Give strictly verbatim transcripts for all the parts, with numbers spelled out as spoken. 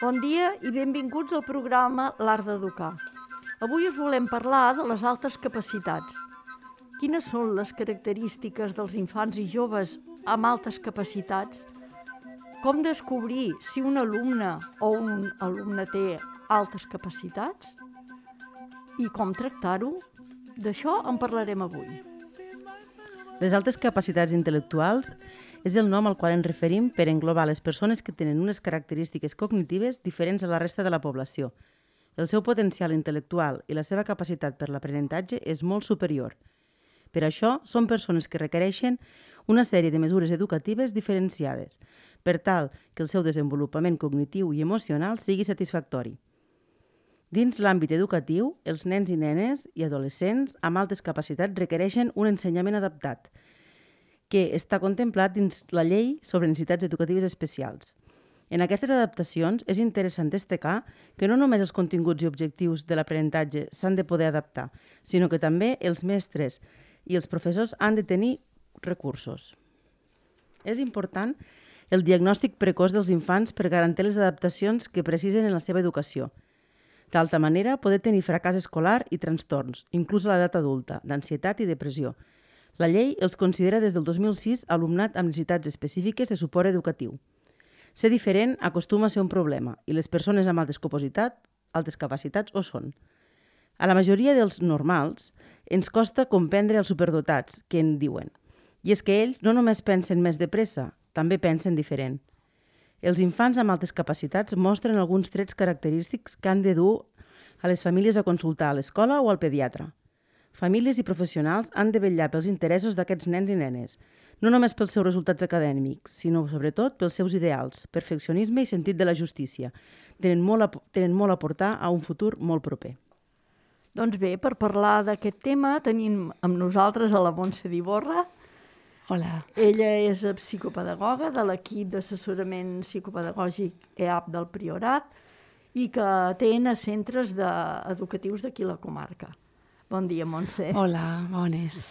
Bon dia i benvinguts al programa L'Art d'Educar. Avui us volem parlar de les altes capacitats. Quines són les característiques dels infants i joves amb altes capacitats? Com descobrir si un alumne o un alumne té altes capacitats? I com tractar-ho? D'això en parlarem avui. Les altes capacitats intel·lectuals és el nom al qual ens referim per englobar les persones que tenen unes característiques cognitives diferents a la resta de la població. El seu potencial intel·lectual i la seva capacitat per l'aprenentatge és molt superior. Per això, són persones que requereixen una sèrie de mesures educatives diferenciades, per tal que el seu desenvolupament cognitiu i emocional sigui satisfactori. Dins l'àmbit educatiu, els nens i nenes i adolescents amb altes capacitats requereixen un ensenyament adaptat, que està contemplat dins la Llei sobre Necessitats Educatives Especials. En aquestes adaptacions és interessant destacar que no només els continguts i objectius de l'aprenentatge s'han de poder adaptar, sinó que també els mestres i els professors han de tenir recursos. És important el diagnòstic precoç dels infants per garantir les adaptacions que precisen en la seva educació. D'altra manera, poder tenir fracàs escolar i trastorns, inclús a l'edat adulta, d'ansietat i depressió. La llei els considera des del dos mil sis alumnat amb necessitats específiques de suport educatiu. Ser diferent acostuma a ser un problema i les persones amb altes capacitats, altes capacitats ho són. A la majoria dels normals ens costa comprendre els superdotats, que en diuen. I és que ells no només pensen més de pressa, també pensen diferent. Els infants amb altes capacitats mostren alguns trets característics que han de dur a les famílies a consultar a l'escola o al pediatre. Famílies i professionals han de vetllar pels interessos d'aquests nens i nenes, no només pels seus resultats acadèmics, sinó sobretot pels seus ideals, perfeccionisme i sentit de la justícia. Tenen molt a, tenen molt a portar a un futur molt proper. Doncs bé, per parlar d'aquest tema tenim amb nosaltres a la Montse d'Iborra. Hola. Ella és psicopedagoga de l'equip d'assessorament psicopedagògic E A P del Priorat i que atén a centres de, educatius d'aquí la comarca. Bon dia, Montse. Hola, bones.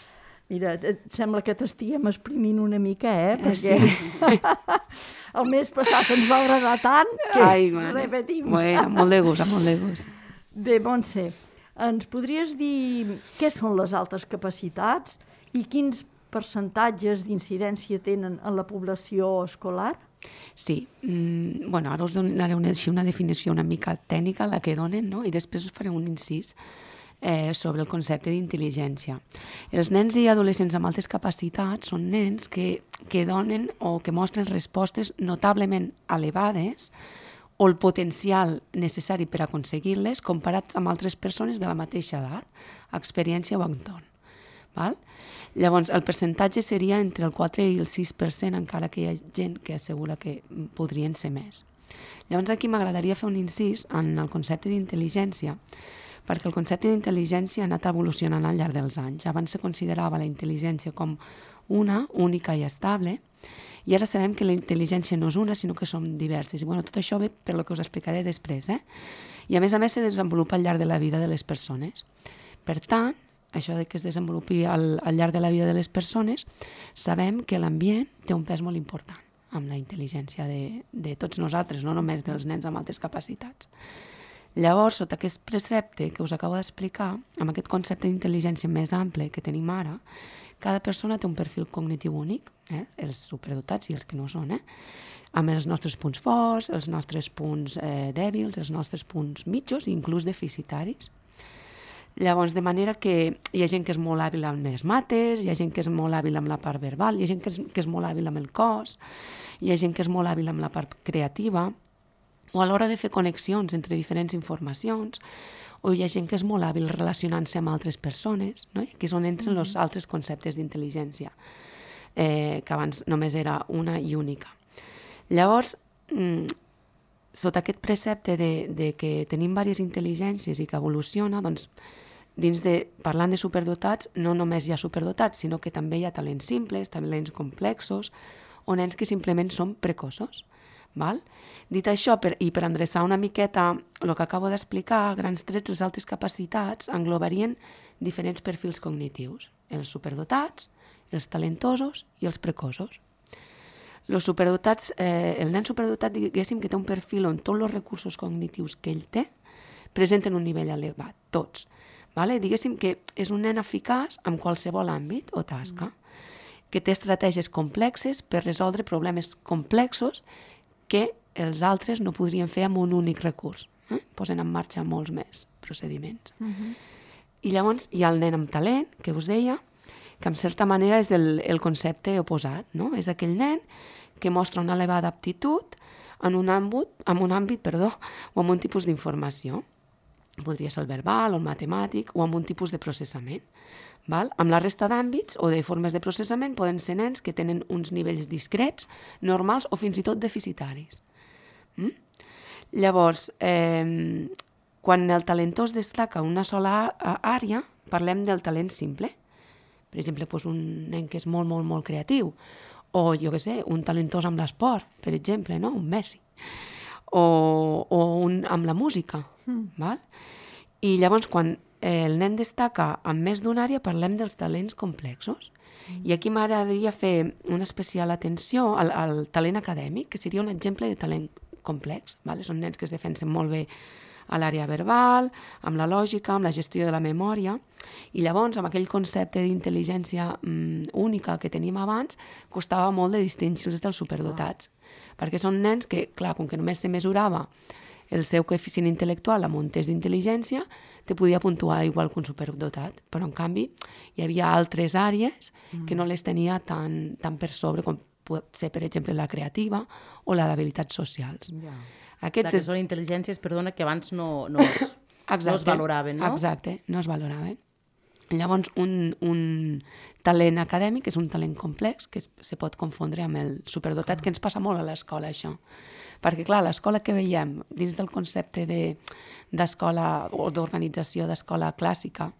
Mira, et sembla que t'estiguem exprimint una mica, eh? Perquè sí. El mes passat ens va agradar tant que Ai, repetim. Bueno, molt de gust, molt de gust. Bé, Montse, ens podries dir què són les altes capacitats i quins percentatges d'incidència tenen en la població escolar? Sí, mm, bueno, ara us donaré una, una definició una mica tècnica, la que donen, no? I després us faré un incís eh, sobre el concepte d'intel·ligència. Els nens i adolescents amb altes capacitats són nens que, que donen o que mostren respostes notablement elevades o el potencial necessari per aconseguir-les comparats amb altres persones de la mateixa edat, experiència o entorn. Val? Llavors, el percentatge seria entre el quatre i el sis per cent, encara que hi ha gent que assegura que podrien ser més. Llavors, aquí m'agradaria fer un incís en el concepte d'intel·ligència, perquè el concepte d'intel·ligència ha anat evolucionant al llarg dels anys. Abans se considerava la intel·ligència com una, única i estable, i ara sabem que la intel·ligència no és una, sinó que són diverses. I bueno, tot això ve per lo que us explicaré després. Eh? I a més a més se desenvolupa al llarg de la vida de les persones. Per tant, això de que es desenvolupi al, al llarg de la vida de les persones, sabem que l'ambient té un pes molt important amb la intel·ligència de, de tots nosaltres, no només dels nens amb altes capacitats. Llavors, sota aquest precepte que us acabo d'explicar, amb aquest concepte d'intel·ligència més ample que tenim ara, cada persona té un perfil cognitiu únic, eh? Els superdotats i els que no són, eh? Amb els nostres punts forts, els nostres punts eh, dèbils, els nostres punts mitjos i inclús deficitaris. Llavors, de manera que hi ha gent que és molt hàbil amb les mates, hi ha gent que és molt hàbil amb la part verbal, hi ha gent que és, que és molt hàbil amb el cos, hi ha gent que és molt hàbil amb la part creativa, o a l'hora de fer connexions entre diferents informacions, o hi ha gent que és molt hàbil relacionant-se amb altres persones, no? Aquí és on entren els mm-hmm. altres conceptes d'intel·ligència, eh, que abans només era una i única. Llavors, mm, sota aquest precepte de, de que tenim diverses intel·ligències i que evoluciona, doncs, dins de, parlant de superdotats, no només hi ha superdotats, sinó que també hi ha talents simples, talents complexos, o nens que simplement són precoços. Val? Dit això, per, i per endreçar una miqueta el que acabo d'explicar, grans trets, les altes capacitats englobarien diferents perfils cognitius, els superdotats els talentosos i els precoços. Los superdotats, eh, el nen superdotat, diguéssim, que té un perfil on tots els recursos cognitius que ell té presenten un nivell elevat, tots. Vale? Diguéssim que és un nen eficaç en qualsevol àmbit o tasca, que té estratègies complexes per resoldre problemes complexos que els altres no podrien fer amb un únic recurs. Eh? Posen en marxa molts més procediments. Uh-huh. I llavors hi ha el nen amb talent, que us deia, que en certa manera és el, el concepte oposat, no? És aquell nen que mostra una elevada aptitud en un àmbit, en un àmbit perdó, o en un tipus d'informació. Podria ser el verbal o el matemàtic o amb un tipus de processament. Val? Amb la resta d'àmbits o de formes de processament poden ser nens que tenen uns nivells discrets, normals o fins i tot deficitaris. Mm? Llavors, eh, quan el talentós destaca una sola àrea, parlem del talent simple. Per exemple, doncs un nen que és molt, molt, molt creatiu, o, jo què sé, un talentós amb l'esport, per exemple, no? Un Messi, o, o un, amb la música. Mm. Val? I llavors, quan el nen destaca en més d'una àrea, parlem dels talents complexos. Mm. I aquí m'agradaria fer una especial atenció al, al talent acadèmic, que seria un exemple de talent complex. Val? Són nens que es defensen molt bé a l'àrea verbal, amb la lògica, amb la gestió de la memòria, i llavors, amb aquell concepte d'intel·ligència mm, única que teníem abans, costava molt de distingir-los dels superdotats, ah. perquè són nens que, clar, com que només se mesurava el seu coeficient intel·lectual amb un test d'intel·ligència, te podia puntuar igual que un superdotat, però en canvi hi havia altres àrees mm. que no les tenia tan, tan per sobre, com pot ser, per exemple, la creativa o la d'habilitats socials. Yeah. Aquests que són intel·ligències, perdona, que abans no, no, es, exacte, no es valoraven, no? Exacte, no es valoraven. Llavors, un, un talent acadèmic és un talent complex que es, se pot confondre amb el superdotat, que ens passa molt a l'escola, això. Perquè, clar, l'escola que veiem, dins del concepte de, d'escola o d'organització d'escola clàssica,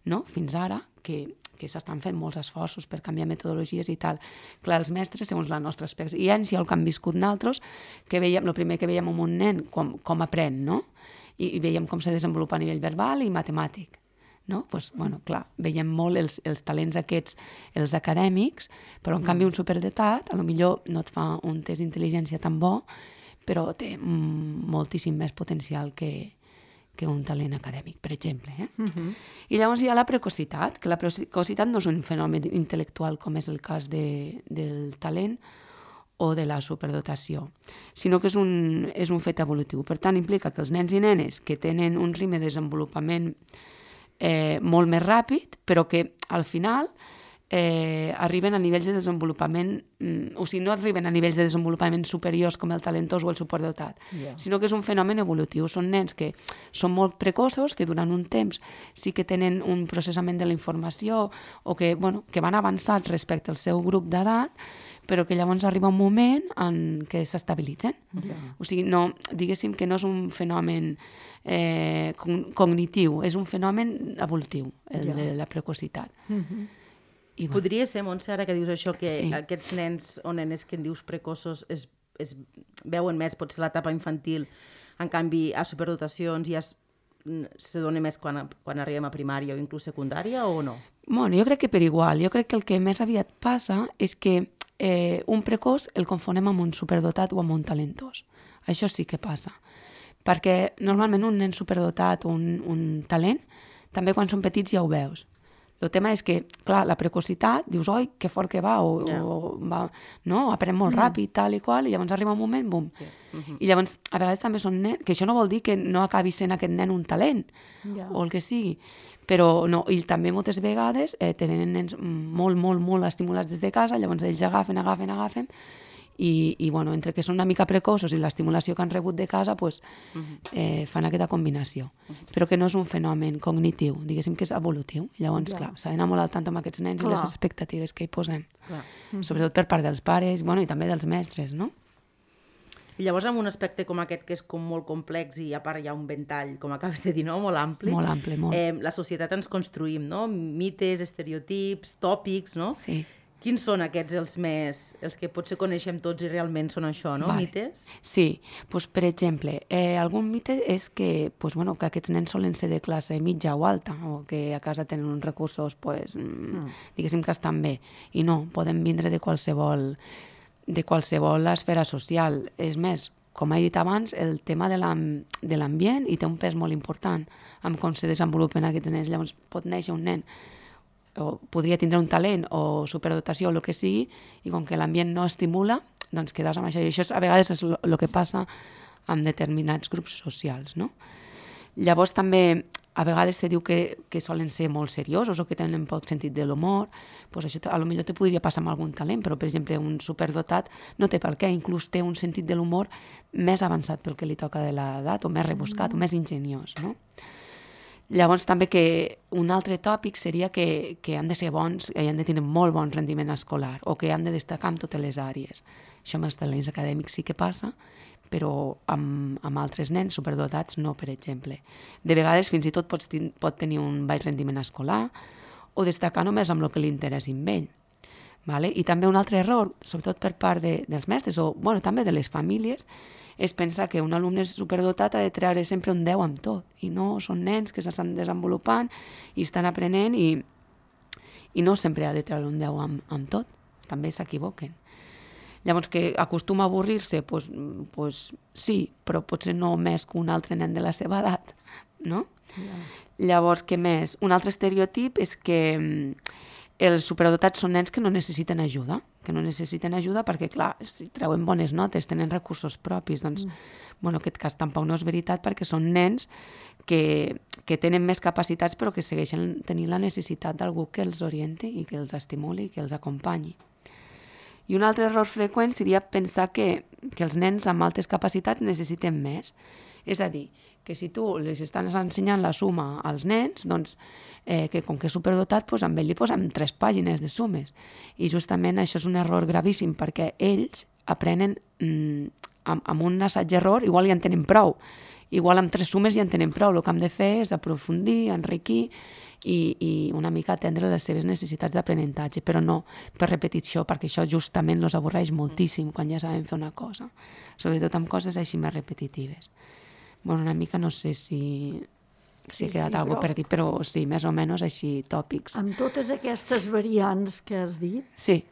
no? Fins ara, que que s'estan fent molts esforços per canviar metodologies i tal. Clar, els mestres, segons la nostra experiència, el que han viscut naltros, que veiem, el primer que veiem amb un nen, com, com aprèn, no? I, i veiem com se desenvolupa a nivell verbal i matemàtic. No? Pues, bueno, clar, veiem molt els, els talents aquests, els acadèmics, però en canvi un superdotat, a lo millor no et fa un test d'intel·ligència tan bo, però té mm, moltíssim més potencial que, que un talent acadèmic, per exemple. Eh? Uh-huh. I llavors hi ha la precocitat, que la precocitat no és un fenomen intel·lectual com és el cas de, del talent o de la superdotació, sinó que és un, és un fet evolutiu. Per tant, implica que els nens i nenes que tenen un ritme de desenvolupament eh, molt més ràpid, però que al final eh, arriben a nivells de desenvolupament, mm, o sigui, no arriben a nivells de desenvolupament superiors com el talentós o el superdotat, yeah. sinó que és un fenomen evolutiu. Són nens que són molt precoços, que durant un temps sí que tenen un processament de la informació o que, bueno, que van avançats respecte al seu grup d'edat, però que llavors arriba un moment en què s'estabilitzen. Yeah. O sigui, no, diguéssim que no és un fenomen eh, cognitiu, és un fenomen evolutiu, el yeah. de la precocitat. Mm-hmm. I bueno. Podria ser, Montse, ara que dius això, que sí. aquests nens o nenes que en dius precoços es, es veuen més, potser l'etapa infantil, en canvi a superdotacions ja es, se dona més quan, quan arribem a primària o inclús secundària o no? Bueno, jo crec que per igual. Jo crec que el que més aviat passa és que eh, un precoç el confonem amb un superdotat o amb un talentós. Això sí que passa. Perquè normalment un nen superdotat o un, un talent, també quan són petits ja ho veus. El tema és que, clar, la precocitat, dius, oi, que fort que va, o, yeah. o va, no, aprèn molt mm. ràpid, tal i qual, i llavors arriba un moment, bum. Yeah. Mm-hmm. I llavors, a vegades també són nens, que això no vol dir que no acabi sent aquest nen un talent, yeah. o el que sigui, però no, i també moltes vegades eh, te venen nens molt, molt, molt estimulats des de casa, llavors ells agafen, agafen, agafen, i, i bueno, entre que són una mica precoços i l'estimulació que han rebut de casa, pues, uh-huh. eh, fan aquesta combinació. Uh-huh. Però que no és un fenomen cognitiu, diguéssim que és evolutiu. I llavors, ja. clar, s'ha d'anar molt al tant amb aquests nens clar. I les expectatives que hi posem. Uh-huh. Sobretot per part dels pares, bueno, i també dels mestres, no? I llavors, amb un aspecte com aquest, que és com molt complex i a part hi ha un ventall, com acabes de dir, no? Molt ampli. Molt ampli, molt. Eh, la societat ens construïm, no? Mites, estereotips, tòpics, no? Sí. Quins són aquests els més, els que potser coneixem tots i realment són això, no? Vale. Mites? Sí, pues, per exemple, eh, algun mite és que, pues, bueno, que aquests nens solen ser de classe mitja o alta, o que a casa tenen uns recursos, pues, mm. diguéssim que estan bé. I no, poden vindre de qualsevol, de qualsevol esfera social. És més, com he dit abans, el tema de l'ambient hi té un pes molt important amb com se desenvolupen aquests nens. Llavors pot néixer un nen o podria tindre un talent o superdotació o el que sigui, i com que l'ambient no estimula, doncs quedes amb això. I això a vegades és el que passa amb determinats grups socials, no? Llavors també a vegades se diu que, que solen ser molt seriosos o que tenen poc sentit de l'humor. Pues això a lo millor te podria passar amb algun talent, però per exemple un superdotat no té per què, inclús té un sentit de l'humor més avançat pel que li toca de l'edat, o més rebuscat, mm. o més ingeniós, no? Llavors també que un altre tòpic seria que, que han de ser bons i han de tenir molt bon rendiment escolar o que han de destacar en totes les àrees. Això amb els talents acadèmics sí que passa, però amb, amb altres nens superdotats no, per exemple. De vegades fins i tot pots ten, pot tenir un baix rendiment escolar o destacar només amb el que li interessi amb ell. Vale? I també un altre error, sobretot per part de, dels mestres o bueno, també de les famílies, és pensar que un alumne superdotat ha de treure sempre un deu amb tot, i no, són nens que s'estan desenvolupant i estan aprenent i, i no sempre ha de treure un deu amb, amb tot, també s'equivoquen. Llavors, que acostuma a avorrir-se, pues, pues, sí, però potser no més que un altre nen de la seva edat, no? Yeah. Llavors, què més? Un altre estereotip és que els superdotats són nens que no necessiten ajuda, que no necessiten ajuda perquè, clar, si treuen bones notes, tenen recursos propis, doncs, mm. bueno, en aquest cas tampoc no és veritat perquè són nens que, que tenen més capacitats però que segueixen tenint la necessitat d'algú que els orienti i que els estimuli i que els acompanyi. I un altre error freqüent seria pensar que, que els nens amb altes capacitats necessiten més. És a dir, que si tu les estàs ensenyant la suma als nens, doncs eh, que com que és superdotat, doncs amb ell li posem tres pàgines de sumes. I justament això és un error gravíssim perquè ells aprenen mm, amb, amb un assaig-error, igual ja en tenen prou. Igual amb tres sumes ja en tenen prou. El que hem de fer és aprofundir, enriquir i, i una mica atendre les seves necessitats d'aprenentatge, però no per repetició, perquè això justament els avorreix moltíssim quan ja saben fer una cosa, sobretot amb coses així més repetitives. Bueno, una mica no sé si, si sí, he quedat sí, alguna cosa per dir, però sí, més o menys així, tòpics. Amb totes aquestes variants que has dit, sí.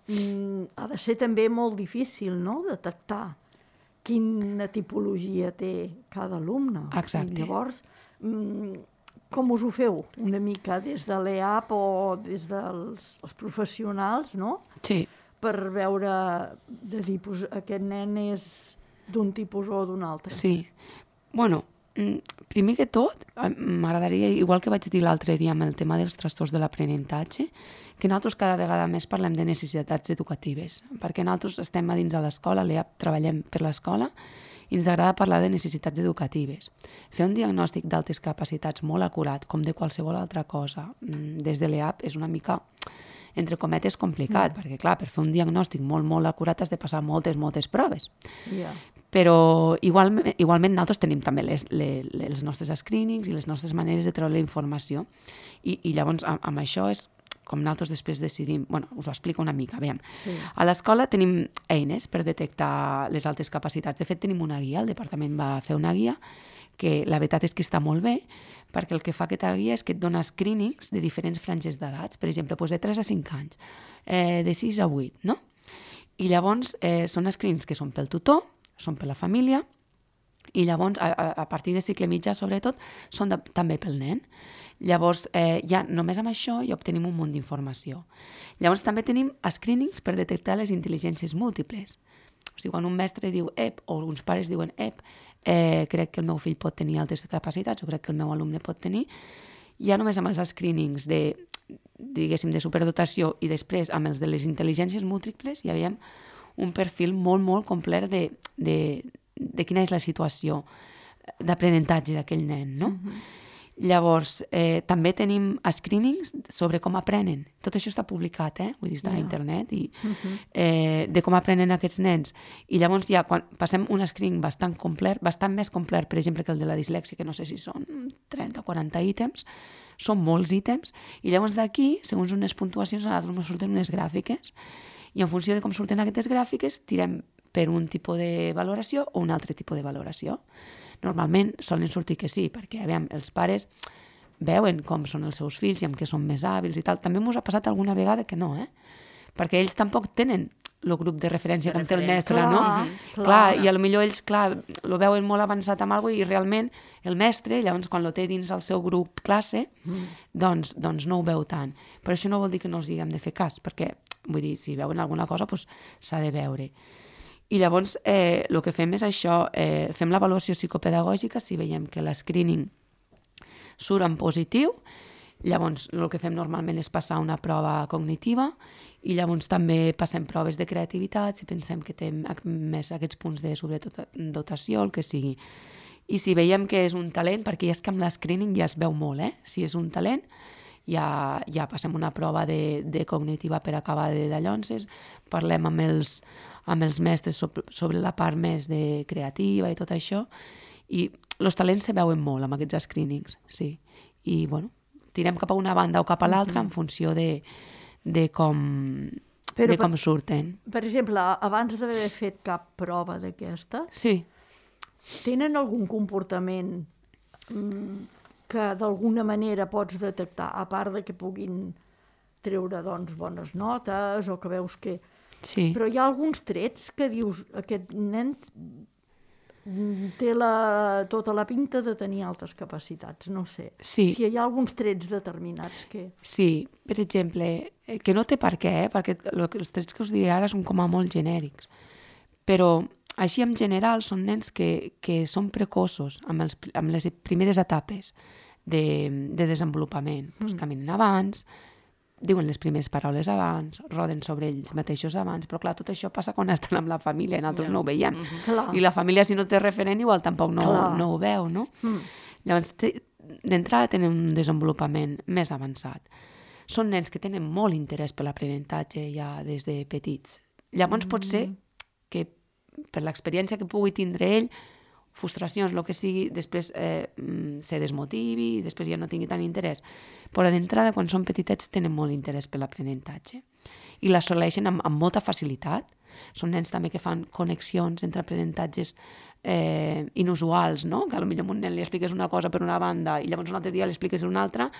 mm, ha de ser també molt difícil, no?, detectar quina tipologia té cada alumne. Exacte. I llavors, mm, com us ho feu? Una mica des de l'E A P o des dels els professionals, no? Sí. Per veure, de dir, pues, aquest nen és d'un tipus o d'un altre. Sí. Bueno, primer que tot, m'agradaria, igual que vaig dir l'altre dia amb el tema dels trastorns de l'aprenentatge, que nosaltres cada vegada més parlem de necessitats educatives, perquè nosaltres estem a dins de l'escola, l'E A P treballem per l'escola, i ens agrada parlar de necessitats educatives. Fer un diagnòstic d'altes capacitats molt acurat, com de qualsevol altra cosa, des de l'E A P és una mica, entre cometes, complicat, mm. perquè clar, per fer un diagnòstic molt, molt acurat has de passar moltes, moltes proves. Yeah. Però igual, igualment nosaltres tenim també les, les, els nostres screenings i les nostres maneres de treure la informació. I, i llavors amb, amb això és com nosaltres després decidim, bueno, us ho explico una mica, veiem. Sí. A l'escola tenim eines per detectar les altes capacitats. De fet, tenim una guia, el departament va fer una guia, que la veritat és que està molt bé, perquè el que fa aquesta guia és que et dona screenings de diferents franges d'edats, per exemple, doncs de tres a cinc anys, eh, de sis a vuit, no? I llavors eh, són screenings que són pel tutor, són per la família, i llavors, a, a partir de cicle mitjà, sobretot, són de, també pel nen. Llavors, eh, ja només amb això ja obtenim un munt d'informació. Llavors, també tenim screenings per detectar les intel·ligències múltiples. O sigui, quan un mestre diu ep, o uns pares diuen ep, eh, crec que el meu fill pot tenir altres capacitats, o crec que el meu alumne pot tenir, ja només amb els screenings de, diguéssim, de superdotació i després amb els de les intel·ligències múltiples ja veiem un perfil molt, molt complet de, de, de quina és la situació d'aprenentatge d'aquell nen, no? Uh-huh. Llavors, eh, també tenim screenings sobre com aprenen. Tot això està publicat, eh? Vull dir, està yeah. a internet, i uh-huh. eh, de com aprenen aquests nens. I llavors ja, quan passem un screening bastant complet, bastant més complet, per exemple, que el de la dislèxia, que no sé si són trenta o quaranta ítems, són molts ítems, i llavors d'aquí, segons unes puntuacions, a nosaltres ens surten unes gràfiques, i en funció de com surten aquestes gràfiques, tirem per un tipus de valoració o un altre tipus de valoració. Normalment solen sortir que sí, perquè aviam, els pares veuen com són els seus fills i amb què són més hàbils i tal. També m'ho ha passat alguna vegada que no, eh? Perquè ells tampoc tenen el grup de referència com té el mestre, clar, no? clar. Clar, i potser ells, clar, lo veuen molt avançat amb alguna cosa i realment el mestre, llavors quan lo té dins el seu grup classe, mm. doncs, doncs no ho veu tant. Però això no vol dir que no els diguem de fer cas, perquè, vull dir, si veuen alguna cosa, doncs s'ha de veure. I llavors eh, el que fem és això, eh, fem l'avaluació psicopedagògica, si veiem que l'escreening surt en positiu, llavors el que fem normalment és passar una prova cognitiva i llavors també passem proves de creativitat si pensem que té més aquests punts de sobredotació, el que sigui. I si veiem que és un talent, perquè ja és que amb l'escreening ja es veu molt, eh? Si és un talent, ja, ja passem una prova de, de cognitiva per acabar de dallonses, parlem amb els, amb els mestres sobre, sobre la part més de creativa i tot això, i els talents se veuen molt amb aquests screenings, sí. I, bueno, tirem cap a una banda o cap a l'altra en funció de, de, com, Però, de com surten. Per exemple, abans d'haver fet cap prova d'aquesta, sí. tenen algun comportament que d'alguna manera pots detectar, a part de que puguin treure doncs, bones notes o que veus que... Sí. Però hi ha alguns trets que dius, aquest nen té la, tota la pinta de tenir altes capacitats, no sé. Sí. Si hi ha alguns trets determinats que... Sí, per exemple, que no té per què, eh? Perquè els trets que us diré ara són com a molt genèrics, però així en general són nens que, que són precoços amb, els, amb les primeres etapes de, de desenvolupament. Mm. Pues caminen abans, diuen les primeres paraules abans, roden sobre ells mateixos abans, però clar, tot això passa quan estan amb la família, nosaltres yeah. no ho veiem. Mm-hmm. I la família, si no té referent, igual tampoc no, no ho veu, no? Mm. Llavors, d'entrada tenen un desenvolupament més avançat. Són nens que tenen molt interès per l'aprenentatge ja des de petits. Llavors mm. pot ser que per l'experiència que pugui tindre ell, frustracions, el que sigui, després eh, se desmotivi, després ja no tingui tant interès. Però d'entrada, quan són petitets, tenen molt interès per l'aprenentatge. I l'assoleixen amb, amb molta facilitat. Són nens també que fan connexions entre aprenentatges eh, inusuals, no? Que potser a un nen li expliques una cosa per una banda i llavors un altre dia li expliques una altra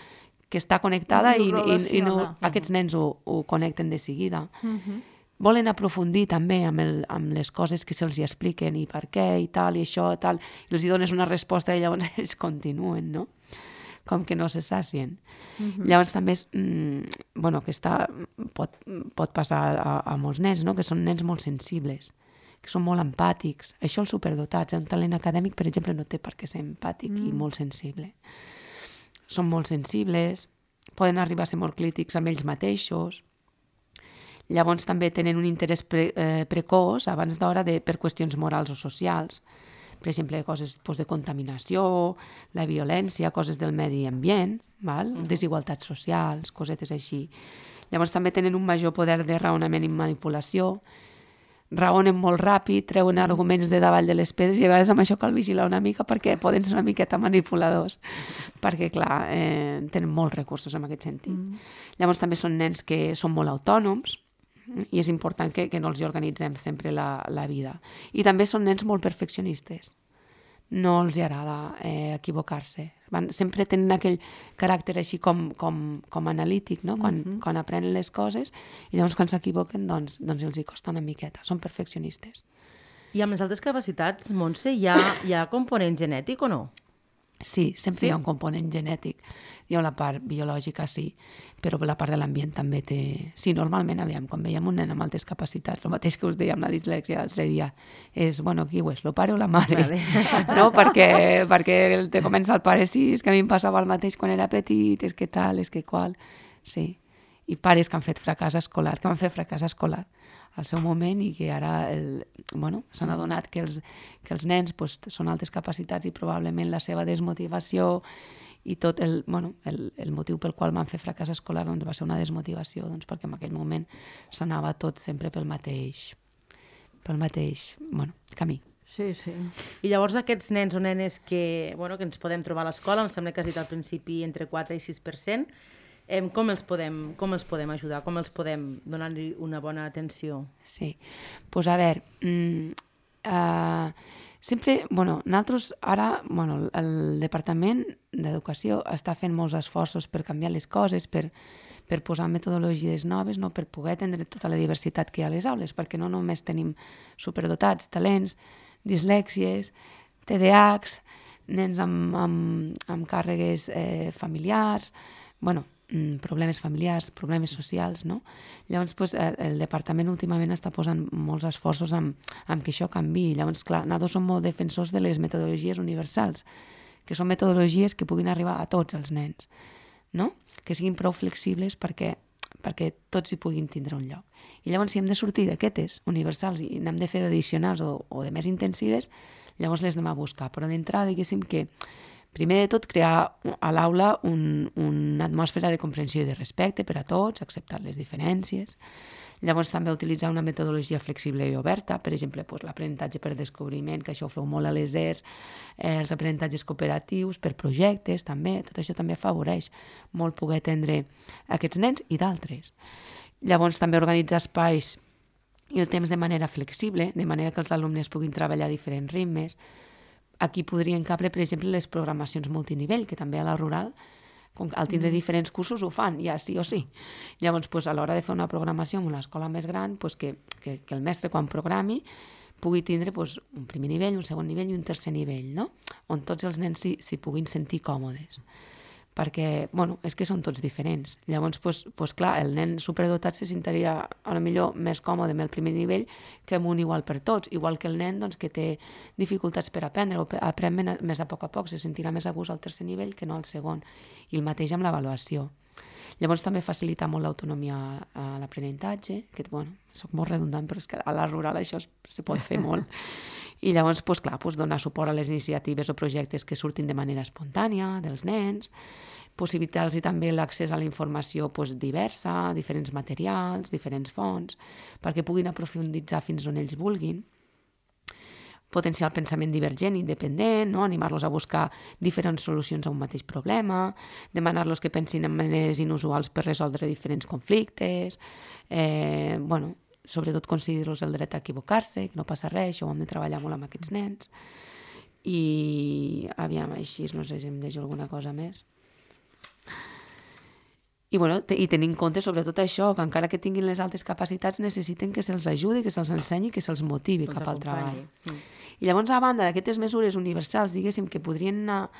que està connectada i, i, i no, aquests nens ho, ho connecten de seguida. Uh-huh. Volen aprofundir també amb, el, amb les coses que se'ls expliquen i per què i tal, i això, tal, i els hi dones una resposta i llavors ells continuen, no? Com que no se sacien. Uh-huh. Llavors també és, mm, bueno, que està, pot, pot passar a, a molts nens, no? Que són nens molt sensibles, que són molt empàtics. Això els superdotats, eh? Un talent acadèmic, per exemple, no té per què ser empàtic mm. i molt sensible. Són molt sensibles, poden arribar a ser molt crítics amb ells mateixos. Llavors també tenen un interès pre, eh, precoç abans d'hora de, per qüestions morals o socials. Per exemple, coses doncs, de contaminació, la violència, coses del medi ambient, val? Uh-huh. Desigualtats socials, cosetes així. Llavors també tenen un major poder de raonament i manipulació, raonen molt ràpid, treuen arguments de davall de les pedres i a vegades amb això cal vigilar una mica perquè poden ser una miqueta manipuladors, perquè clar, eh, tenen molts recursos en aquest sentit. Uh-huh. Llavors també són nens que són molt autònoms, i és important que, que no els organitzem sempre la, la vida. I també són nens molt perfeccionistes. No els agrada eh, equivocar-se. Van, sempre tenen aquell caràcter així com, com, com analític, no? Quan, mm-hmm. quan aprenen les coses i llavors quan s'equivoquen doncs, doncs els hi costa una miqueta. Són perfeccionistes. I amb les altres capacitats, Montse, hi ha, hi ha component genètic o no? Sí, sempre sí? Hi ha un component genètic. Hi ha la part biològica, sí, però la part de l'ambient també té... Sí, normalment, aviam, quan veiem un nen amb altes capacitats, el mateix que us deia amb la dislèxia l'altre dia, és, bueno, qui ho és, el pare o la mare? Vale. No? Perquè, perquè te comença el pare, sí, és que a mi em passava el mateix quan era petit, és que tal, és que qual... Sí, i pares que han fet fracàs escolar, que van fer fracàs escolar al seu moment i que ara el, bueno, s'han adonat que els, que els nens pues, són altes capacitats i probablement la seva desmotivació i tot el, bueno, el, el motiu pel qual van fer fracàs escolar doncs, va ser una desmotivació doncs, perquè en aquell moment s'anava tot sempre pel mateix, pel mateix bueno, camí. Sí, sí. I llavors aquests nens o nenes que, bueno, que ens podem trobar a l'escola, em sembla que has dit al principi entre quatre i sis per cent, eh, com, els podem, com els podem ajudar? Com els podem donar-li una bona atenció? Sí. Doncs pues a veure, mmm, uh, sempre, bueno, nosaltres ara, bueno, el Departament d'Educació està fent molts esforços per canviar les coses, per, per posar metodologies noves, no? Per poder atendre tota la diversitat que hi ha a les aules, perquè no només tenim superdotats, talents, dislèxies, T D A Hs, nens amb, amb, amb càrregues eh, familiars, bueno, problemes familiars, problemes socials, no? Llavors, pues, el, el departament últimament està posant molts esforços amb, amb que això canviï. Llavors, clar, nosaltres som molt defensors de les metodologies universals, que són metodologies que puguin arribar a tots els nens, no? Que siguin prou flexibles perquè, perquè tots hi puguin tindre un lloc. I llavors, si hem de sortir d'aquestes universals i n'hem de fer d'addicionals o, o de més intensives, llavors les anem a buscar. Però d'entrada, diguéssim que primer de tot, crear a l'aula un, una atmosfera de comprensió i de respecte per a tots, acceptar les diferències. Llavors també utilitzar una metodologia flexible i oberta, per exemple, doncs, l'aprenentatge per descobriment, que això ho feu molt a les E R S, eh, els aprenentatges cooperatius per projectes, també, tot això també afavoreix molt poder atendre aquests nens i d'altres. Llavors també organitzar espais i el temps de manera flexible, de manera que els alumnes puguin treballar a diferents ritmes. Aquí podrien cabre, per exemple, les programacions multinivell, que també a la rural, com al tindre diferents cursos, ho fan, ja sí o sí. Llavors, pues, a l'hora de fer una programació en una escola més gran, pues, que, que, que el mestre, quan programi, pugui tindre pues, un primer nivell, un segon nivell i un tercer nivell, no? On tots els nens s'hi, s'hi puguin sentir còmodes. Perquè, bueno, és que són tots diferents. Llavors, pues, pues, clar, el nen superdotat se sentiria a lo millor més còmode amb el primer nivell que amb un igual per tots, igual que el nen doncs, que té dificultats per aprendre o aprèn més a poc a poc, se sentirà més a gust al tercer nivell que no al segon. I el mateix amb l'avaluació. Llavors també facilita molt l'autonomia a l'aprenentatge, que, bueno, soc molt redundant, però és que a la rural això se pot fer molt. I llavors, pues, clar, pues, donar suport a les iniciatives o projectes que surtin de manera espontània dels nens, possibilitar-los també l'accés a la informació pues, diversa, diferents materials, diferents fonts, perquè puguin aprofunditzar fins on ells vulguin, potenciar el pensament divergent i independent, no? Animar-los a buscar diferents solucions a un mateix problema, demanar-los que pensin en maneres inusuals per resoldre diferents conflictes, eh, bueno, sobretot concedir-los el dret a equivocar-se, que no passa res, això ho hem de treballar molt amb aquests nens. I, aviam, així, no sé si em deixo alguna cosa més. I, bueno, te, i tenir en compte sobretot això, que encara que tinguin les altes capacitats necessiten que se'ls ajudi, que se'ls ensenyi, que se'ls motivi cap al treball. Mm. I llavors, a banda d'aquestes mesures universals, diguéssim, que podrien anar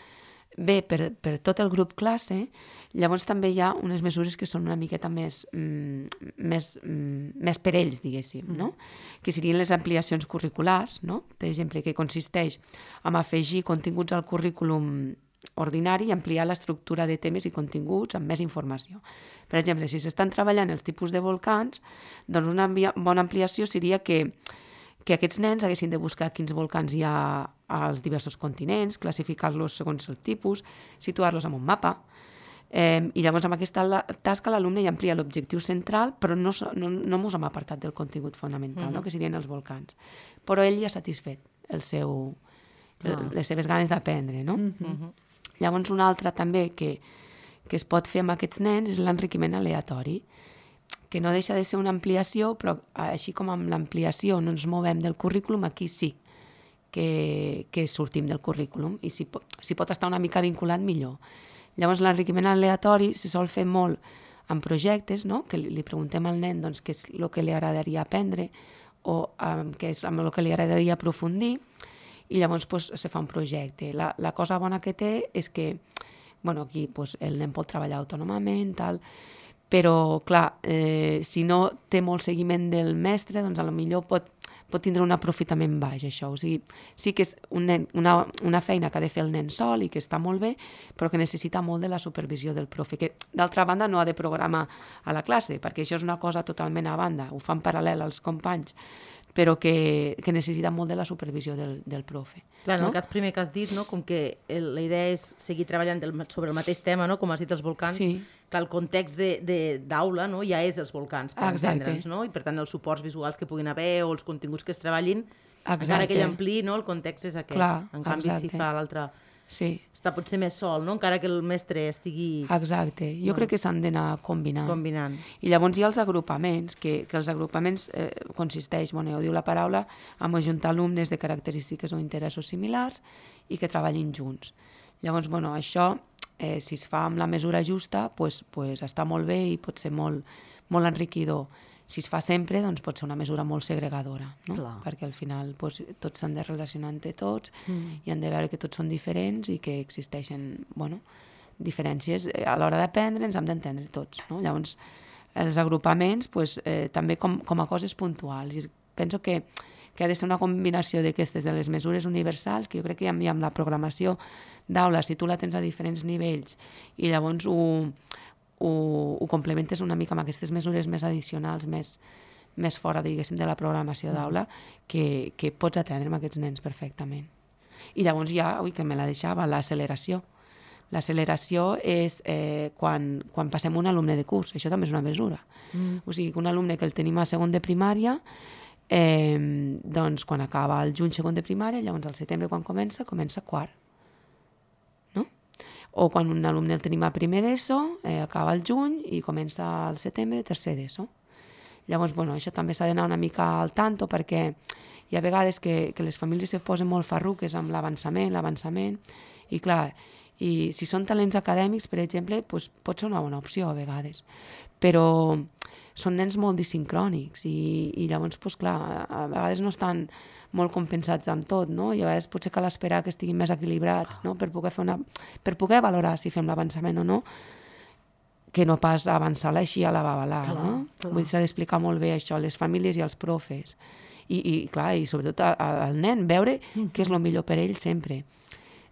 bé per, per tot el grup classe, llavors també hi ha unes mesures que són una miqueta més, mm, més, mm, més per ells, diguéssim, no? Que serien les ampliacions curriculars, no? Per exemple, que consisteix en afegir continguts al currículum ordinari i ampliar l'estructura de temes i continguts amb més informació. Per exemple, si s'estan treballant els tipus de volcans, doncs una bona ampliació seria que que aquests nens haguessin de buscar quins volcans hi ha als diversos continents, classificar-los segons el tipus, situar-los en un mapa. Eh, I llavors amb aquesta la, tasca l'alumne ja amplia l'objectiu central, però no, no, no mos hem apartat del contingut fonamental, uh-huh. no? Que serien els volcans. Però ell ja ha satisfet el seu, el, uh-huh. les seves ganes d'aprendre. No? Uh-huh. Llavors una altra també que, que es pot fer amb aquests nens és l'enriquiment aleatori, que no deixa de ser una ampliació, però així com amb l'ampliació no ens movem del currículum, aquí sí que, que sortim del currículum i si, si pot estar una mica vinculat, millor. Llavors l'enriquiment aleatori se sol fer molt en projectes, no? Que li, li preguntem al nen doncs, què és el que li agradaria aprendre o um, què és amb el que li agradaria aprofundir i llavors pues, se fa un projecte. La, la cosa bona que té és que bueno, aquí pues, el nen pot treballar autònomament, tal, però, clar, eh, si no té molt seguiment del mestre, doncs a lo millor pot, pot tindre un aprofitament baix, això. O sigui, sí que és un nen, una, una feina que ha de fer el nen sol i que està molt bé, però que necessita molt de la supervisió del profe, que d'altra banda no ha de programar a la classe, perquè això és una cosa totalment a banda, ho fan paral·lel als companys, però que, que necessita molt de la supervisió del, del profe. Clar, en no? el cas primer que has dit, no? Com que el, la idea és seguir treballant del, sobre el mateix tema, no? Com has dit, els volcans, sí. Clar, el context d'aula no? Ja és els volcans, per entendre'ns, no? I per tant els suports visuals que puguin haver o els continguts que es treballin Exacte. Encara que ell ampliï, no? El context és aquest. Clar, en canvi, exacte. si fa l'altre... Sí. Està potser més sol, no? Encara que el mestre estigui... Exacte. Jo bueno, crec que s'han d'anar combinant. Combinant. I llavors hi ha els agrupaments, que, que els agrupaments eh, consisteix, bueno, ja ho diu la paraula, en ajuntar alumnes de característiques o interessos similars i que treballin junts. Llavors, bueno, això, eh, si es fa amb la mesura justa, pues, pues està molt bé i pot ser molt, molt enriquidor. Si es fa sempre, doncs pot ser una mesura molt segregadora, no? Clar. Perquè al final doncs, tots s'han de relacionar entre tots Mm. i han de veure que tots són diferents i que existeixen, bueno, diferències. A l'hora d'aprendre ens hem d'entendre tots, no? Llavors, els agrupaments, pues, eh, també com, com a coses puntuals. I penso que, que ha de ser una combinació d'aquestes, de les mesures universals, que jo crec que ja amb la programació d'aula, si tu la tens a diferents nivells i llavors ho... Ho, ho complementes una mica amb aquestes mesures més addicionals, més, més fora, diguéssim, de la programació d'aula, que, que pots atendre amb aquests nens perfectament. I llavors ja, ui, que me la deixava, l'acceleració. L'acceleració és eh, quan, quan passem un alumne de curs, això també és una mesura. Mm. O sigui, que un alumne que el tenim a segon de primària, eh, doncs quan acaba el juny segon de primària, llavors al setembre quan comença, comença quart. O quan un alumne el tenim a primer d'ESO, eh, acaba el juny i comença al setembre tercer d'ESO. Llavors, bueno, això també s'ha d'anar una mica al tanto perquè hi ha vegades que, que les famílies se posen molt farruques amb l'avançament, l'avançament, i clar, i si són talents acadèmics, per exemple, doncs pot ser una bona opció a vegades. Però són nens molt disincrònics i, i llavors, doncs clar, a vegades no estan molt compensats amb tot, no? I a vegades potser cal esperar que estiguin més equilibrats, no? Per poder fer una... per poder valorar si fem l'avançament o no, que no pas avançar-la així a la babalà, clar, no? clar. Vull dir, s'ha d'explicar molt bé això a les famílies i als profes. I, i clar, i sobretot a, a, al nen, veure mm. què és el millor per ell sempre.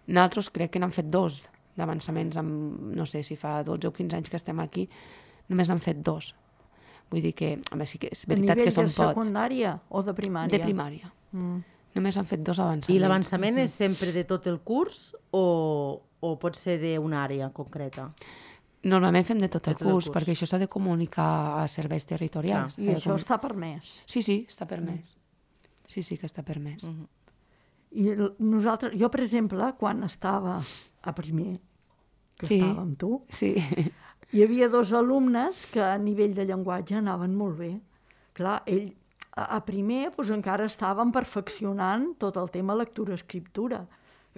Nosaltres crec que n'han fet dos d'avançaments, amb, no sé si fa dotze o quinze anys que estem aquí, només n'han fet dos. Vull dir que, home, sí que és veritat que són pocs. A nivell de secundària o de primària? De primària. Mm. Només han fet dos avançaments. I l'avançament mm-hmm. és sempre de tot el curs o, o pot ser d'una àrea concreta? Normalment fem de tot el, de tot curs, el curs, perquè això s'ha de comunicar a serveis territorials. Clar. I això com... està permès? Sí, sí, està permès. Sí, sí que està permès. Mm-hmm. I nosaltres, jo, per exemple, quan estava a primer, que sí. estava amb tu, sí. hi havia dos alumnes que a nivell de llenguatge anaven molt bé. Clar, ell a primer doncs, encara estàvem perfeccionant tot el tema lectura-escriptura.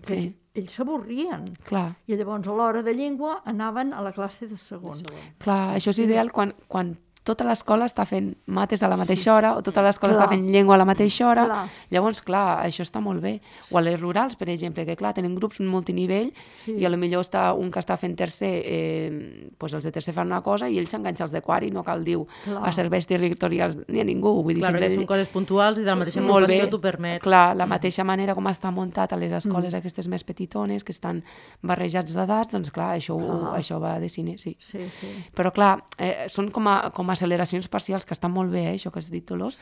Que sí. Ells s'avorrien. I llavors a l'hora de llengua anaven a la classe de segon. De segon. Clar, això és ideal quan, quan tota l'escola està fent mates a la mateixa hora o tota l'escola està fent llengua a la mateixa hora. Clar. Llavors, clar, això està molt bé. O a les rurals, per exemple, que clar, tenen grups multinivell sí. i potser està un que està fent tercer, eh, doncs els de tercer fan una cosa i ell s'enganxa als de quart i no cal dir a serveis territorials ni a ningú. Vull dir, clar, perquè són coses puntuals i de la mateixa motivació t'ho permet. Clar, la mateixa manera com està muntat a les escoles mm. aquestes més petitones, que estan barrejats d'edats, doncs clar, això, clar. això va de cine, sí. sí, sí. Però clar, eh, són com a, com a acceleracions parcials, que estan molt bé, eh, això que has dit, Dolors,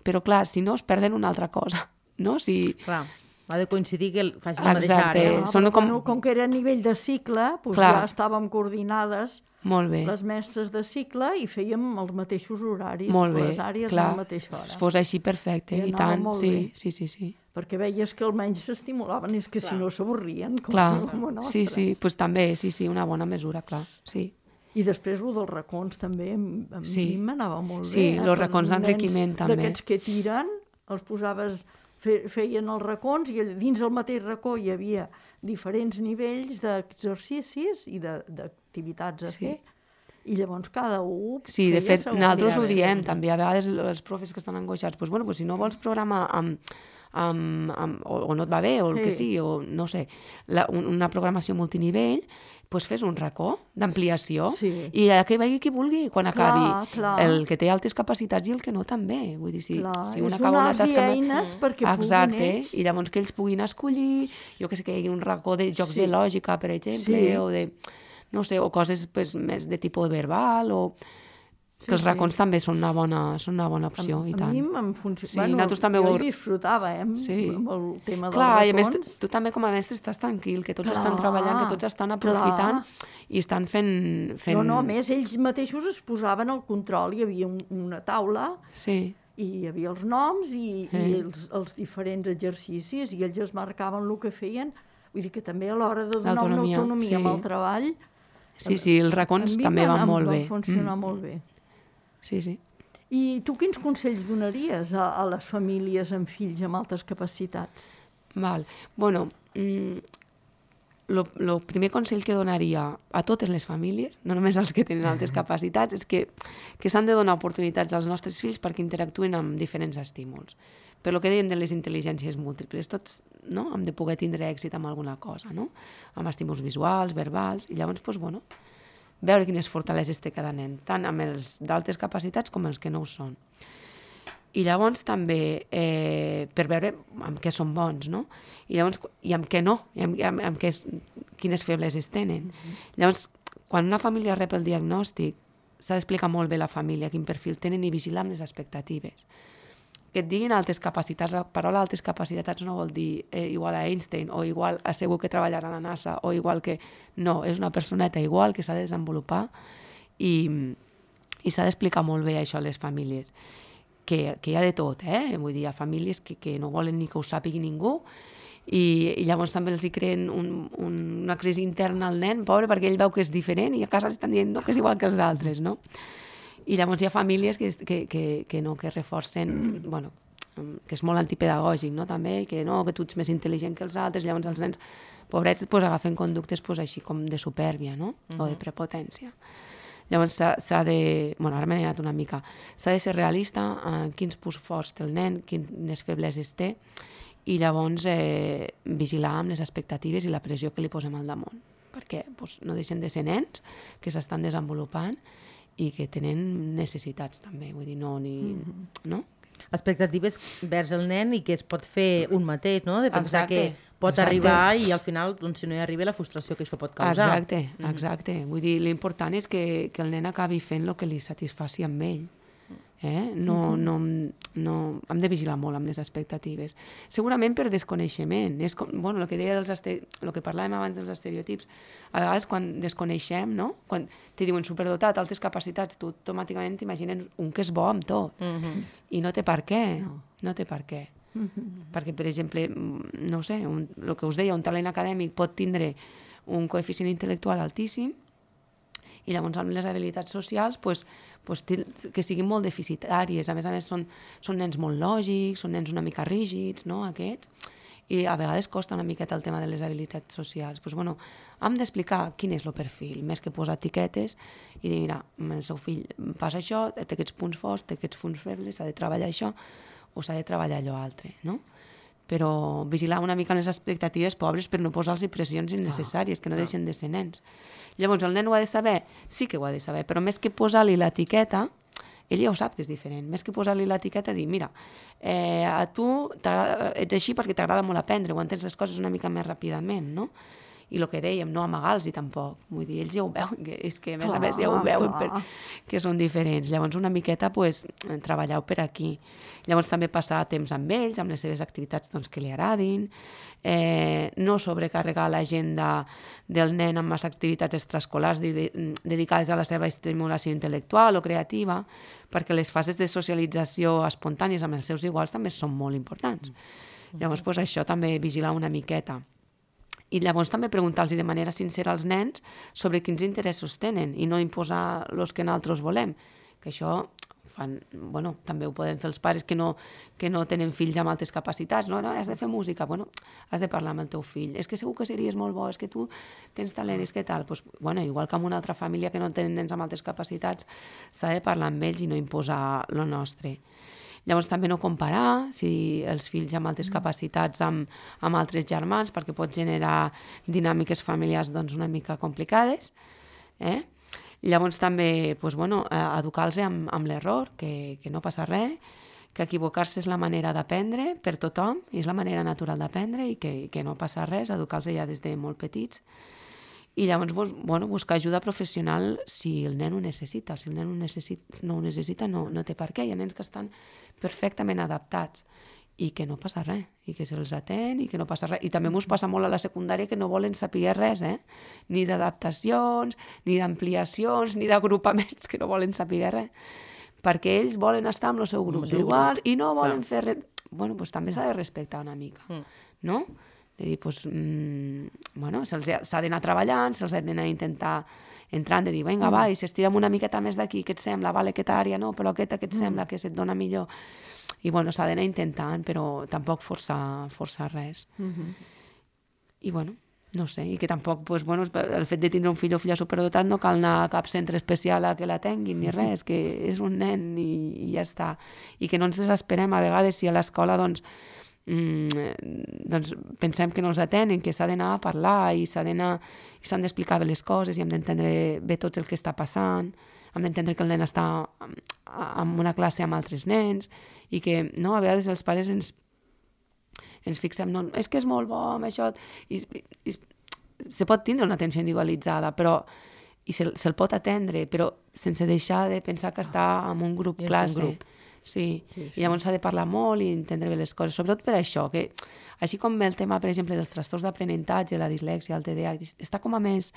però clar, si no es perden una altra cosa, no? Si... Clar, ha de coincidir que faci la mateixa Exacte. àrea. Ah, són com... com que era a nivell de cicle, doncs ja estàvem coordinades molt bé. Les mestres de cicle i fèiem els mateixos horaris, molt bé. les àrees clar. a la mateixa hora. Si fos així, perfecte, i, i tant, sí, sí, sí, sí. Perquè veies que almenys s'estimulaven, és que clar. Si no s'avorrien, com, com a nostre. Sí, sí, doncs també, sí, sí, una bona mesura, clar, sí. I després el dels racons també, a sí. mi m'anava molt sí, bé. Sí, els racons d'enriquiment també. D'aquests que tiren, els posaves, fe, feien els racons i dins el mateix racó hi havia diferents nivells d'exercicis i d'activitats a fer. Sí. I llavors cada un... Sí, de fet, nosaltres ho diem també, a vegades els profes que estan angoixats, doncs, bueno, doncs, si no vols programar amb, amb, amb, o, o no et va bé, o el sí. que sigui, o no sé, la, una programació multinivell, doncs fes un racó d'ampliació sí. i que vegi qui vulgui quan acabi. Clar, clar. El que té altes capacitats i el que no també. Vull dir, si, clar, si una acaba una tasca... eines perquè exacte, puguin ells. I llavors que ells puguin escollir, jo que sé, que hi hagi un racó de jocs sí. de lògica, per exemple, sí. o de, no sé, o coses pues, més de tipus verbal, o... que sí, els racons sí. també són una bona, són una bona opció, a, i tant. A mi em funciona... Sí, bueno, també jo ho... hi disfrutava, eh, amb, sí. amb el tema dels clar, racons. I a més, tu també com a mestre estàs tranquil, que tots clar, estan treballant, que tots estan aprofitant clar. I estan fent, fent... No, no, a més, ells mateixos es posaven al control, hi havia un, una taula sí. i hi havia els noms i, eh. i els, els diferents exercicis, i ells es marcaven el que feien. Vull dir que també a l'hora de donar una autonomia sí. amb el treball... Sí, sí, els racons també van molt bé. Va funcionar mm. molt bé. Sí, sí. I tu quins consells donaries a, a les famílies amb fills amb altes capacitats? Val. Bueno, el mm, primer consell que donaria a totes les famílies, no només als que tenen altes capacitats, és que, que s'han de donar oportunitats als nostres fills perquè interactuïn amb diferents estímuls. Per lo que dèiem de les intel·ligències múltiples, tots no? hem de poder tindre èxit amb alguna cosa, no? Amb estímuls visuals, verbals, i llavors, doncs, bueno, veure quines fortaleses té cada nen, tant amb els d'altes capacitats com els que no ho són. I llavors també eh, per veure amb què són bons, no? I llavors, i amb què no, i amb, amb, amb què és, quines febleses tenen. Mm-hmm. Llavors, quan una família rep el diagnòstic, s'ha d'explicar molt bé la família quin perfil tenen i vigilar amb les expectatives. Que et diguin altes capacitats, la paraula altes capacitats no vol dir eh, igual a Einstein o igual a segur que treballarà a la NASA o igual que... No, és una personeta igual que s'ha de desenvolupar i, i s'ha d'explicar molt bé això a les famílies. Que, que hi ha de tot, eh? Vull dir, hi ha famílies que, que no volen ni que ho sàpigui ningú i, i llavors també els hi creen un, un, una crisi interna al nen, pobre, perquè ell veu que és diferent i a casa li estan dient no, que és igual que els altres, no? I llavors hi ha famílies que, que, que, que no, que reforcen, bueno, que és molt antipedagògic, no? També, que no, que tu ets més intel·ligent que els altres, llavors els nens, pobrets, pues, agafen conductes pues, així com de supèrbia, no? Uh-huh. O de prepotència. Llavors s'ha de, bueno, ara m'he anat una mica, s'ha de ser realista en quins punts forts té el nen, quines febleses té, i llavors eh, vigilar amb les expectatives i la pressió que li posem al damunt, perquè pues, no deixen de ser nens que s'estan desenvolupant i que tenen necessitats també, vull dir, no, ni, mm-hmm. no? Expectatives vers el nen i que es pot fer un mateix, no? De pensar exacte, que pot exacte. Arribar i al final, doncs, si no hi arriba, la frustració que això pot causar. Exacte, exacte. Mm-hmm. Vull dir, l'important és que, que el nen acabi fent el que li satisfaci amb ell. Eh? No, no, no, hem de vigilar molt amb les expectatives. Segurament per desconeixement. És com, bueno, el que deia dels este... el que parlàvem abans dels estereotips, a vegades quan desconeixem, no? Quan te diuen superdotat, altes capacitats, tu automàticament t'imagines un que és bo amb tot. Mm-hmm. I no té per què. No, no té per què. Mm-hmm. Perquè, per exemple, no sé, un, el que us deia, un talent acadèmic pot tindre un coeficient intel·lectual altíssim i llavors amb les habilitats socials pues, pues, que siguin molt deficitàries. A més a més són, són nens molt lògics, són nens una mica rígids, no, aquests, i a vegades costa una miqueta el tema de les habilitats socials. Pues, bueno, hem d'explicar quin és el perfil, més que posar etiquetes i dir, mira, el seu fill passa això, té aquests punts forts, té aquests punts febles, s'ha de treballar això o s'ha de treballar allò altre, no? Però vigilar una mica les expectatives pobres per no posar-los pressions innecessàries, que no deixen de ser nens. Llavors, el nen ho ha de saber? Sí que ho ha de saber, però més que posar-li l'etiqueta, ell ja ho sap que és diferent, més que posar-li l'etiqueta, dir, mira, eh, a tu ets així perquè t'agrada molt aprendre, o entens les coses una mica més ràpidament, no? I el que dèiem, no amagar-los tampoc. Vull dir, ells ja ho veuen, que és que a més clar, a més ja ho veuen per, que són diferents. Llavors una miqueta pues, treballeu per aquí. Llavors també passar temps amb ells, amb les seves activitats doncs, que li agradin, eh, no sobrecarregar l'agenda del nen amb les activitats extraescolars de, de, dedicades a la seva estimulació intel·lectual o creativa, perquè les fases de socialització espontànies amb els seus iguals també són molt importants. Llavors pues, això també vigilar una miqueta. I llavors també preguntar-los de manera sincera als nens sobre quins interessos tenen i no imposar els que nosaltres volem, que això fan, bueno, també ho poden fer els pares que no, que no tenen fills amb altes capacitats, no, no, has de fer música, bueno, has de parlar amb el teu fill, és que segur que series molt bo, és que tu tens talent, és que tal, pues, bueno, igual que amb una altra família que no tenen nens amb altes capacitats, s'ha de parlar amb ells i no imposar lo nostre. Llavors també no comparar si els fills amb altes capacitats amb, amb altres germans, perquè pot generar dinàmiques familiars doncs, una mica complicades. Eh? Llavors també pues, bueno, educar-los amb, amb l'error, que, que no passa res, que equivocar-se és la manera d'aprendre per tothom, i és la manera natural d'aprendre i que, que no passa res, educar-los ja des de molt petits. I llavors bueno, buscar ajuda professional si el nen ho necessita. Si el nen ho necessita, no ho necessita, no, no té per què. Hi ha nens que estan perfectament adaptats i que no passa res, i que se'ls atén i que no passa res. I també ens passa molt a la secundària que no volen saber res, eh? Ni d'adaptacions, ni d'ampliacions, ni d'agrupaments, que no volen saber res. perquè ells volen estar amb el seu grup d'iguals i no volen Clar. fer res. Bueno, doncs també s'ha de respectar una mica, Mm. no? De dir, doncs, mm, bueno, se'ls ha- s'ha d'anar treballant, se'ls ha d'anar intentar entrant, de dir, vinga, va, i si estirem una miqueta més d'aquí, què et sembla? Vale, aquesta àrea, no, però aquesta, què et sembla? Que se't dona millor? I, bueno, s'ha d'anar intentant, però tampoc forçar, forçar res. I, bueno, no sé, i que tampoc, pues, bueno, el fet de tindre un fill o filla superdotat no cal anar a cap centre especial a que la tinguin ni res, que és un nen i, i ja està. I que no ens desesperem a vegades si a l'escola, doncs, mm, doncs pensem que no els atenen, que s'ha d'anar a parlar i s'ha d'anar, i s'han d'explicar bé les coses i hem d'entendre bé tot el que està passant, hem d'entendre que el nen està en una classe amb altres nens i que, no, a vegades els pares ens ens fixem, no, és que és molt bo amb això, i, i, se pot tindre una atenció individualitzada, però i se'l se pot atendre, però sense deixar de pensar que està en un grup I en un classe. grup. Sí. Sí, sí. I llavors s'ha de parlar molt i entendre bé les coses, sobretot per això, que així com el tema, per exemple, dels trastorns d'aprenentatge, la dislèxia, el T D A H, està com a més,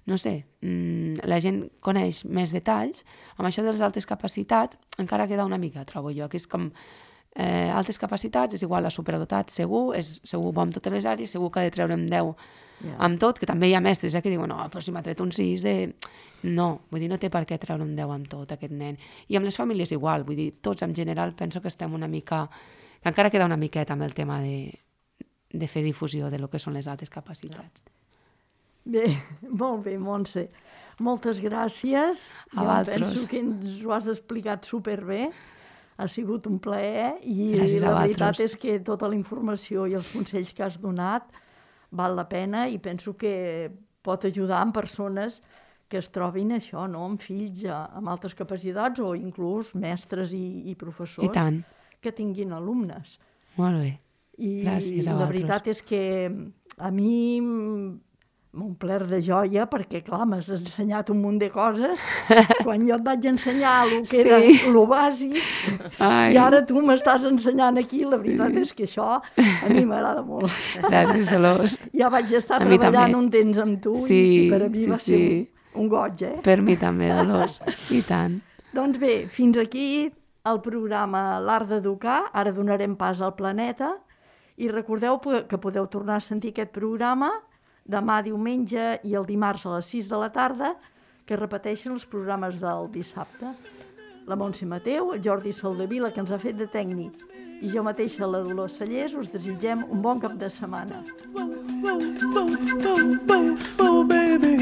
no sé, mmm, la gent coneix més detalls, amb això de les altres capacitats encara queda una mica, trobo jo, que és com eh, altres capacitats és igual a superdotat, segur, és segur bo en totes les àrees, segur que ha de treure'm deu Ja. amb tot, que també hi ha mestres eh, que diuen, no, però si m'ha tret un sis de... No, vull dir, no té per què treure un deu amb tot aquest nen. I amb les famílies igual, vull dir, tots en general penso que estem una mica... que encara queda una miqueta amb el tema de, de fer difusió de lo que són les altres capacitats. Bé, molt bé, Montse. Moltes gràcies. A Jo vosaltres. penso que ens ho has explicat superbé. Ha sigut un plaer i Gràcies a la veritat vosaltres. és que tota la informació i els consells que has donat val la pena i penso que pot ajudar en persones que es trobin això, no?, amb fills eh, amb altes capacitats o inclús mestres i, i professors I tant. que tinguin alumnes. Molt bé. I Gràcies a la vosaltres. veritat és que a mi m'ha omplert de joia perquè, clar, m'has ensenyat un munt de coses. Quan jo et vaig ensenyar el que era Sí. lo bàsic, Ai, i ara tu m'estàs ensenyant aquí, la veritat és que això a mi m'agrada molt. gràcies, Dolors. Ja vaig estar A mi treballant també. un temps amb tu i, Sí, i per a mi sí, va sí. ser un, un goig, eh? Per mi també, Dolors. I tant. Doncs bé, fins aquí el programa L'Art d'Educar. Ara donarem pas al Planeta. I recordeu que podeu tornar a sentir aquest programa demà diumenge i el dimarts a les sis de la tarda, que repeteixen els programes del dissabte. La Montse Mateu, el Jordi Soldevila, que ens ha fet de tècnic, i jo mateixa, la Dolors Cellers, us desitgem un bon cap de setmana. Oh, baby.